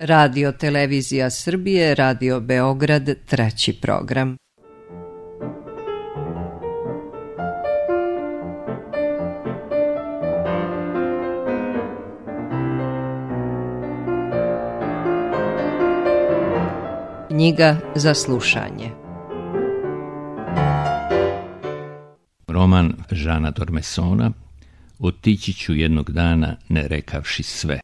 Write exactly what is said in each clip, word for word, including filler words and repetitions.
Radio Televizija Srbije, Radio Beograd, treći program. Knjiga za slušanje. Roman Žana Dormesona Otići ću jednog dana ne rekavši sve.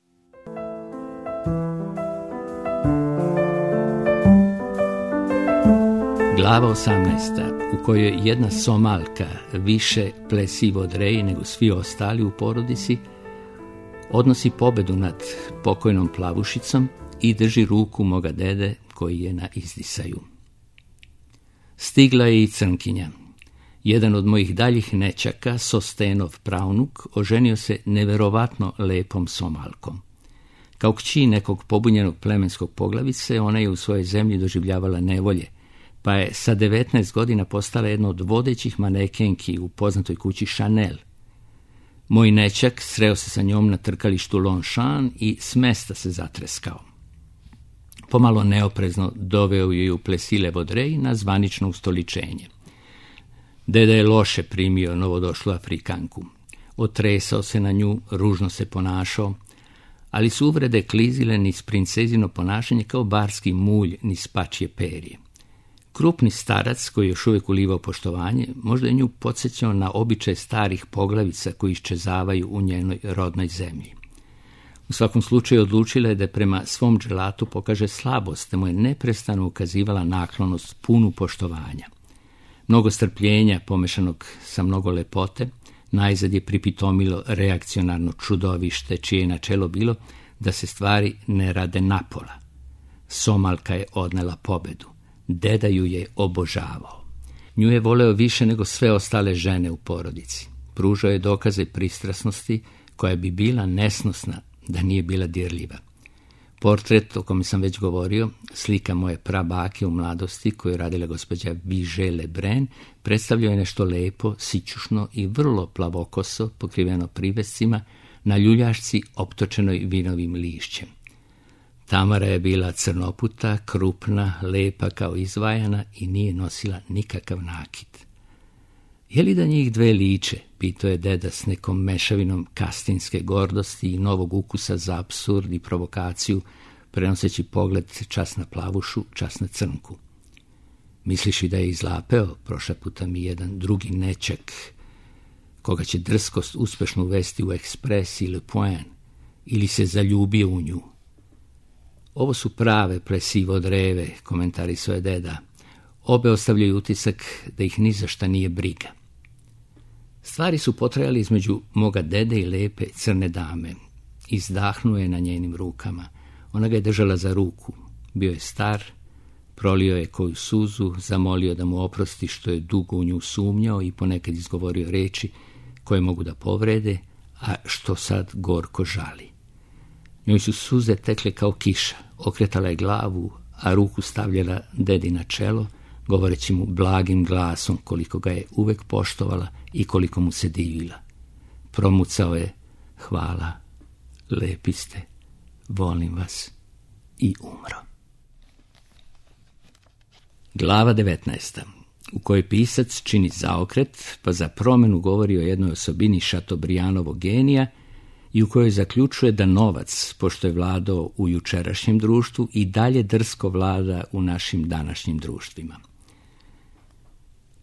Glava osamnaesta, u kojoj jedna Somalka više plesivo od Reji nego svi ostali u porodici, odnosi pobedu nad pokojnom plavušicom i drži ruku moga dede koji je na izdisaju. Stigla je i Crnkinja. Jedan od mojih daljih nećaka, Sostenov pravnuk, oženio se neverovatno lepom Somalkom. Kao kći nekog pobunjenog plemenskog poglavice, ona je u svojoj zemlji doživljavala nevolje, pa je sa devetnaest godina postala jedna od vodećih manekenki u poznatoj kući Chanel. Moj nećak sreo se sa njom na trkalištu Longchamp i s mesta se zatreskao. Pomalo neoprezno doveo ju u Plessis Vaudreuil na zvanično ustoličenje. Deda je loše primio novodošlu Afrikanku. Otresao se na nju, ružno se ponašao, ali su uvrede klizile niz princezino ponašanje kao barski mulj niz pačje perje. Krupni starac, koji je još uvijek ulivao poštovanje, možda je nju podsjećao na običaj starih poglavica koji iščezavaju u njenoj rodnoj zemlji. U svakom slučaju odlučila je da prema svom dželatu pokaže slabost, te mu je neprestano ukazivala naklonost punu poštovanja. Mnogo strpljenja, pomešanog sa mnogo lepote, najzad je pripitomilo reakcionarno čudovište, čije je načelo bilo da se stvari ne rade napola. Somalka je odnela pobedu. Deda ju je obožavao. Nju je voleo više nego sve ostale žene u porodici. Pružao je dokaze pristrasnosti koja bi bila nesnosna da nije bila dirljiva. Portret o kome sam već govorio, slika moje prabake u mladosti koju je radila gospođa Vigée Lebrun, predstavljao je nešto lepo, sićušno i vrlo plavokoso, pokriveno privescima, na ljuljašci optočenoj vinovim lišćem. Tamara je bila crnoputa, krupna, lepa kao izvajana i nije nosila nikakav nakit. Je li da njih dve liče, pitao je deda s nekom mešavinom kastinske gordosti i novog ukusa za apsurd i provokaciju, prenoseći pogled čas na plavušu, čas na crnku. Misliš i da je izlapeo, prošaputa mi jedan drugi nećak, koga će drskost uspešno uvesti u Ekspres i Le Point, ili se zaljubio u nju. Ovo su prave Plessis Vaudreuil, komentarisao je deda. Obe ostavljaju utisak da ih ni za šta nije briga. Stvari su potrajali između moga dede i lepe crne dame. Izdahnuo je na njenim rukama. Ona ga je držala za ruku. Bio je star, prolio je koju suzu, zamolio da mu oprosti što je dugo u nju sumnjao i ponekad izgovorio reči koje mogu da povrede, a što sad gorko žali. Njoj su suze tekle kao kiša, okretala je glavu, a ruku stavljala dedi na čelo, govoreći mu blagim glasom koliko ga je uvek poštovala i koliko mu se divila. Promucao je: hvala, lepi ste, volim vas, i umro. Glava devetnaesta, u kojoj pisac čini zaokret, pa za promenu govori o jednoj osobini Šatobrijanovog genija i u kojoj zaključuje da novac, pošto je vladao u jučerašnjem društvu, i dalje drsko vlada u našim današnjim društvima.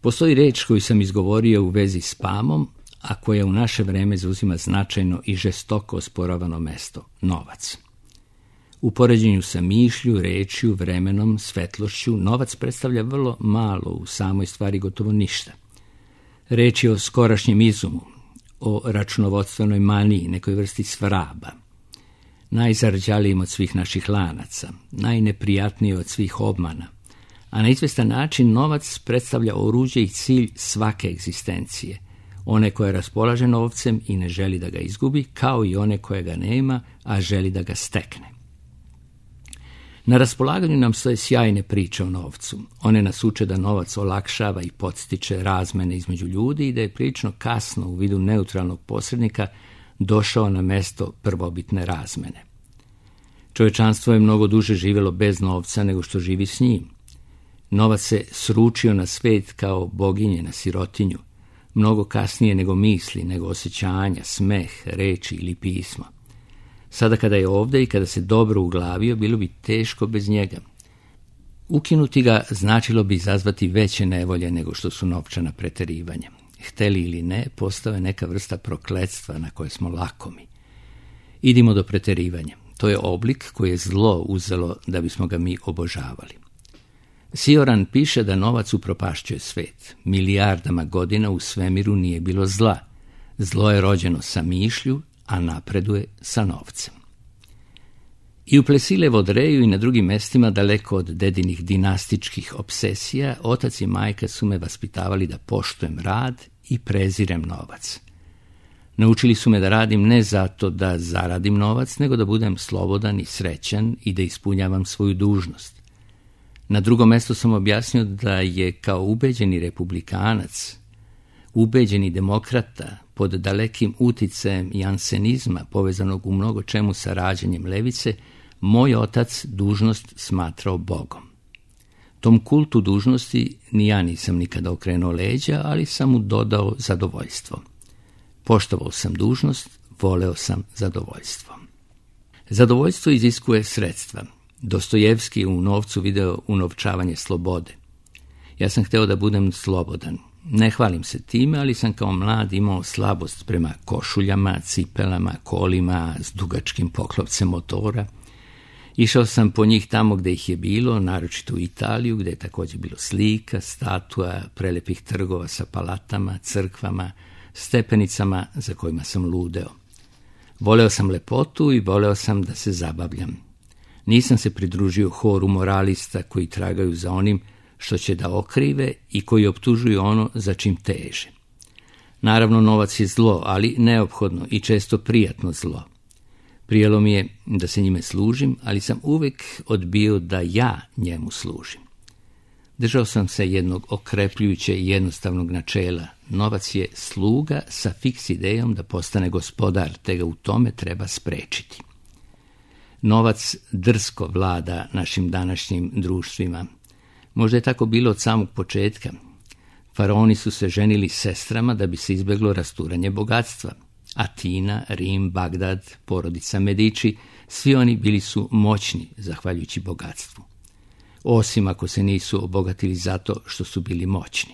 Postoji reč koju sam izgovorio u vezi s Pamom, a koja u naše vreme zauzima značajno i žestoko osporavano mesto – novac. U poređenju sa mišlju, rečju, vremenom, svetlošću, novac predstavlja vrlo malo, u samoj stvari gotovo ništa. Reč je o skorašnjem izumu, o računovodstvenoj maniji, nekoj vrsti svraba. Najzarđalijim od svih naših lanaca, najneprijatniji od svih obmana, a na izvestan način novac predstavlja oruđe i cilj svake egzistencije, one koje raspolaže novcem i ne želi da ga izgubi, kao i one koje ga nema, a želi da ga stekne. Na raspolaganju nam stoje sjajne priče o novcu. One nas uče da novac olakšava i podstiče razmene između ljudi i da je prilično kasno u vidu neutralnog posrednika došao na mesto prvobitne razmene. Čovječanstvo je mnogo duže živjelo bez novca nego što živi s njim. Novac se sručio na svet kao boginje na sirotinju, mnogo kasnije nego misli, nego osjećanja, smeh, reči ili pismo. Sada kada je ovdje i kada se dobro uglavio, bilo bi teško bez njega. Ukinuti ga značilo bi izazvati veće nevolje nego što su novčana preterivanja. Hteli ili ne, postao je neka vrsta prokletstva na koje smo lakomi. Idimo do preterivanja. To je oblik koji je zlo uzelo da bismo ga mi obožavali. Sioran piše da novac upropašćuje svet. Milijardama godina u svemiru nije bilo zla. Zlo je rođeno sa mišlju, a napreduje sa novcem. I u Plesilevodreju i na drugim mestima, daleko od dedinih dinastičkih obsesija, otac i majka su me vaspitavali da poštujem rad i prezirem novac. Naučili su me da radim ne zato da zaradim novac, nego da budem slobodan i srećan i da ispunjavam svoju dužnost. Na drugom mjestu sam objasnio da je kao ubeđeni republikanac, ubeđeni demokrata, pod dalekim uticajem jansenizma povezanog u mnogo čemu sa rađanjem levice, moj otac dužnost smatrao Bogom. Tom kultu dužnosti ni ja nisam nikada okrenuo leđa, ali sam mu dodao zadovoljstvo. Poštovao sam dužnost, voleo sam zadovoljstvo. Zadovoljstvo iziskuje sredstva. Dostojevski je u novcu video unovčavanje slobode. Ja sam hteo da budem slobodan. Ne hvalim se time, ali sam kao mlad imao slabost prema košuljama, cipelama, kolima s dugačkim poklopcem motora. Išao sam po njih tamo gde ih je bilo, naročito u Italiju, gde je također bilo slika, statua, prelepih trgova sa palatama, crkvama, stepenicama za kojima sam ludeo. Voleo sam lepotu i voleo sam da se zabavljam. Nisam se pridružio horu moralista koji tragaju za onim što će da okrive i koji optužuju ono za čim teže. Naravno, novac je zlo, ali neophodno i često prijatno zlo. Prijelo mi je da se njime služim, ali sam uvijek odbio da ja njemu služim. Držao sam se jednog okrepljujuće i jednostavnog načela. Novac je sluga sa fiks idejom da postane gospodar, te ga u tome treba sprečiti. Novac drsko vlada našim današnjim društvima. Možda je tako bilo od samog početka. Faraoni su se ženili sestrama da bi se izbjeglo rasturanje bogatstva. Atina, Rim, Bagdad, porodica Medici, svi oni bili su moćni zahvaljujući bogatstvu. Osim ako se nisu obogatili zato što su bili moćni.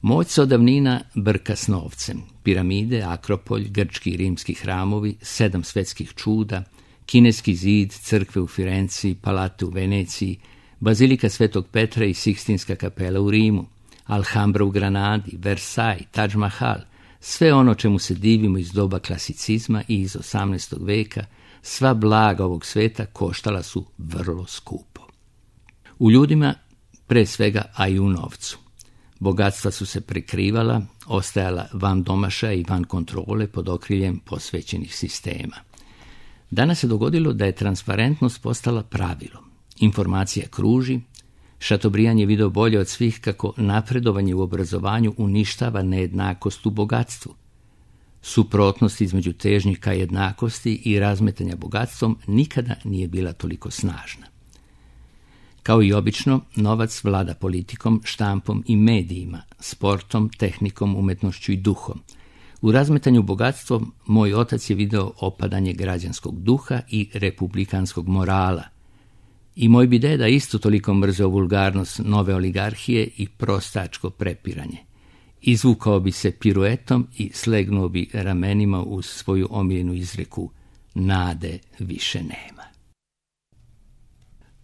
Moć se od davnina brka s novcem. Piramide, Akropolj, grčki i rimski hramovi, sedam svetskih čuda, kineski zid, crkve u Firenci, palate u Veneciji, bazilika Svetog Petra i Sikstinska kapela u Rimu, Alhambra u Granadi, Versailles, Taj Mahal, sve ono čemu se divimo iz doba klasicizma i iz osamnaestog veka, sva blaga ovog sveta koštala su vrlo skupo. U ljudima, pre svega, a i u novcu. Bogatstva su se prikrivala, ostajala van domašaja i van kontrole pod okriljem posvećenih sistema. Danas se dogodilo da je transparentnost postala pravilo. Informacija kruži, Šatobrijan je video bolje od svih kako napredovanje u obrazovanju uništava nejednakost u bogatstvu. Suprotnost između težnjih ka jednakosti i razmetanja bogatstvom nikada nije bila toliko snažna. Kao i obično, novac vlada politikom, štampom i medijima, sportom, tehnikom, umetnošću i duhom. U razmetanju bogatstvom moj otac je video opadanje građanskog duha i republikanskog morala. I moj bi deda isto toliko mrzeo vulgarnost nove oligarhije i prostačko prepiranje. Izvukao bi se piruetom i slegnuo bi ramenima uz svoju omiljenu izreku: nade više nema.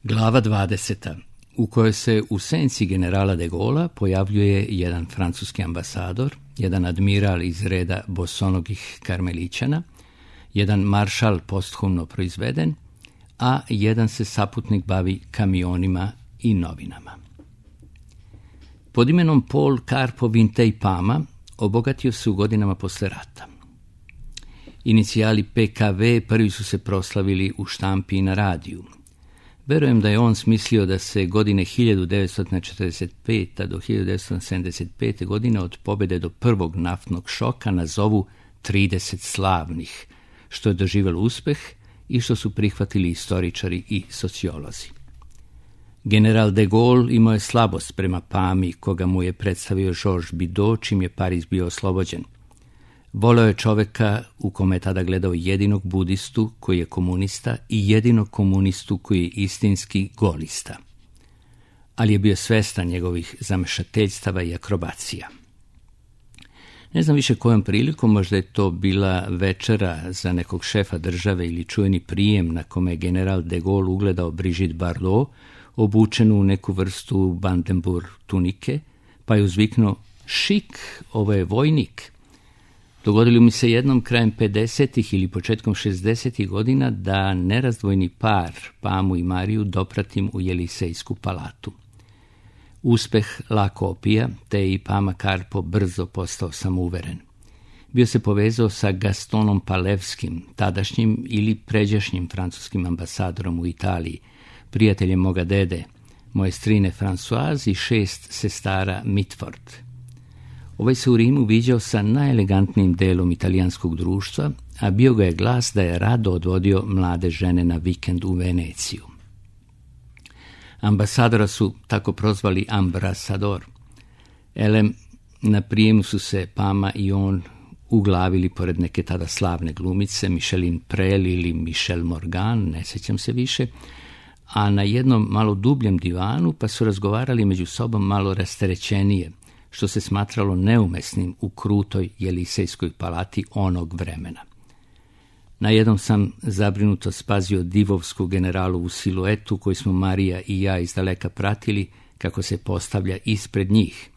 Glava dvadeseta, u kojoj se u senci generala de Gaulea pojavljuje jedan francuski ambasador, jedan admiral iz reda bosonogih karmelićana, jedan maršal posthumno proizveden, a jedan se saputnik bavi kamionima i novinama. Pod imenom Paul Karpo Vintej Pama obogatio se u godinama posle rata. Inicijali P K V prvi su se proslavili u štampi i na radiju. Verujem da je on smislio da se godine hiljadu devetsto četrdeset pete do hiljadu devetsto sedamdeset pete godine od pobjede do prvog naftnog šoka nazovu trideset slavnih, što je doživjelo uspeh i što su prihvatili istoričari i sociolozi. General de Gaulle imao je slabost prema Pami, koga mu je predstavio Georges Bidault, čim je Pariz bio oslobođen. Voleo je čoveka u kome je tada gledao jedinog budistu koji je komunista i jedinog komunistu koji je istinski golista. Ali je bio svestan njegovih zamešateljstava i akrobacija. Ne znam više kojom prilikom, možda je to bila večera za nekog šefa države ili čujeni prijem na kome je general de Gaulle ugledao Brigitte Bardot, obučenu u neku vrstu Brandenburg tunike, pa je uzviknuo: šik, ovo je vojnik. Dogodilo mi se jednom krajem pedesetih ili početkom šezdesetih godina da nerazdvojni par, Pamu i Mariju, dopratim u Jelisejsku palatu. Uspeh lako opija, te je i Pama Karpo brzo postao samouveren. Bio se povezao sa Gastonom Palevskim, tadašnjim ili pređašnjim francuskim ambasadorom u Italiji, prijateljem moga dede, moje strine Françoise i šest sestara Mitford. Ovaj se u Rimu viđao sa najelegantnijim delom italijanskog društva, a bio ga je glas da je rado odvodio mlade žene na vikend u Veneciju. Ambasadora su tako prozvali ambrasador. Elem, na prijemu su se Pama i on uglavili pored neke tada slavne glumice, Micheline Prel ili Michel Morgan, ne sjećam se više, a na jednom malo dubljem divanu pa su razgovarali među sobom malo rasterećenije, što se smatralo neumesnim u krutoj Jelisejskoj palati onog vremena. Na jednom sam zabrinuto spazio divovsku generalovu siluetu koju smo Marija i ja izdaleka pratili kako se postavlja ispred njih.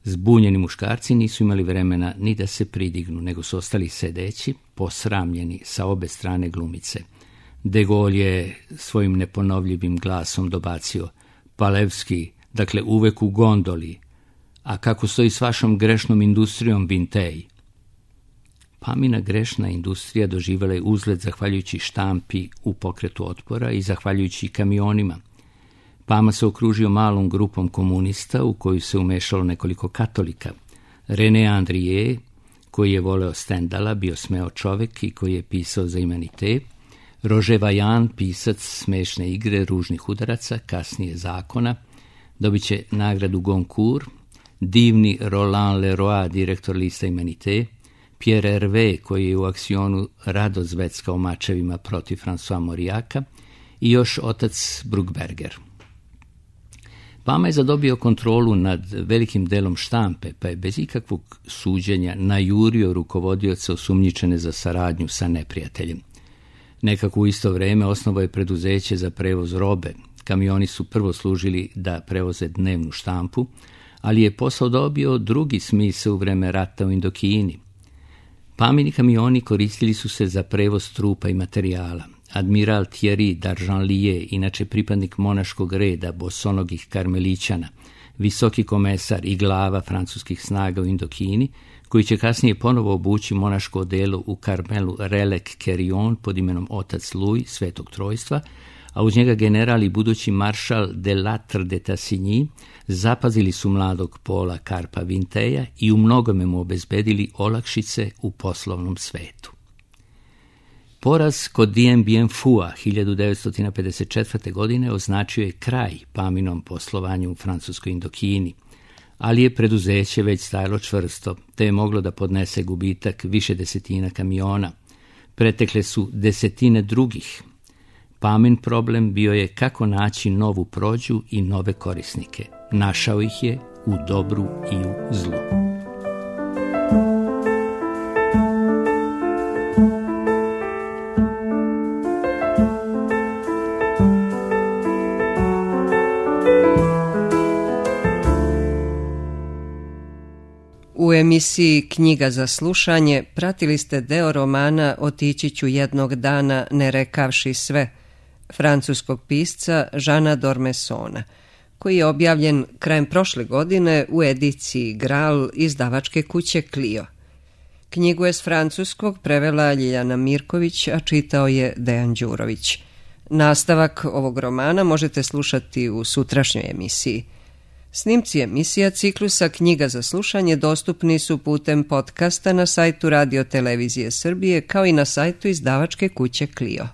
Zbunjeni muškarci nisu imali vremena ni da se pridignu, nego su ostali sedeći, posramljeni sa obe strane glumice. De Gaulle je svojim neponovljivim glasom dobacio: Palevski, dakle uvek u gondoli. A kako stoji s vašom grešnom industrijom, Vintej? Pamina grešna industrija doživjela je uzlet zahvaljujući štampi u pokretu otpora i zahvaljujući kamionima. Pama se okružio malom grupom komunista u koju se umešalo nekoliko katolika. René Andrier, koji je voleo Stendala, bio smeo čovek i koji je pisao za Humanité, Roger Vaillant, pisac smešne igre ružnih udaraca, kasnije zakona, dobit će nagradu Goncourt, divni Roland Leroy, direktor lista Humanité, Pierre Hervé, koji je u akcionu rado zveckao mačevima protiv François Mauriaca, i još otac Bruckberger. Pama je zadobio kontrolu nad velikim delom štampe, pa je bez ikakvog suđenja najurio rukovodioca osumnjičene za saradnju sa neprijateljem. Nekako u isto vreme osnovao je preduzeće za prevoz robe. Kamioni su prvo služili da prevoze dnevnu štampu, ali je posao dobio drugi smisao u vreme rata u Indokini. Pamini kamioni koristili su se za prevoz trupa i materijala. Admiral Thierry d'Argenlier, inače pripadnik monaškog reda bosonogih karmelićana, visoki komesar i glava francuskih snaga u Indokini, koji će kasnije ponovo obući monaško odelo u Karmelu Relec-Querion pod imenom otac Louis, Svetog Trojstva, a uz njega general i budući maršal de Lattre de Tassigny, zapazili su mladog Paula Karpa Vinteja i u mnogome mu obezbedili olakšice u poslovnom svetu. Poraz kod Dien Bien Phu hiljadu devetsto pedeset četvrte. godine označio je kraj Paminom poslovanju u francuskoj Indokini, ali je preduzeće već stajalo čvrsto, te je moglo da podnese gubitak više desetina kamiona. Pretekle su desetine drugih. Pamin problem bio je kako naći novu prođu i nove korisnike. Našao ih je u dobru i u zlu. U emisiji Knjiga za slušanje pratili ste deo romana Otići ću jednog dana ne rekavši sve, francuskog pisca Žana Dormesona, koji je objavljen krajem prošle godine u ediciji Graal izdavačke kuće Clio. Knjigu je s francuskog prevela Ljiljana Mirković, a čitao je Dejan Đurović. Nastavak ovog romana možete slušati u sutrašnjoj emisiji. Snimci emisija ciklusa Knjiga za slušanje dostupni su putem podcasta na sajtu Radio Televizije Srbije kao i na sajtu izdavačke kuće Clio.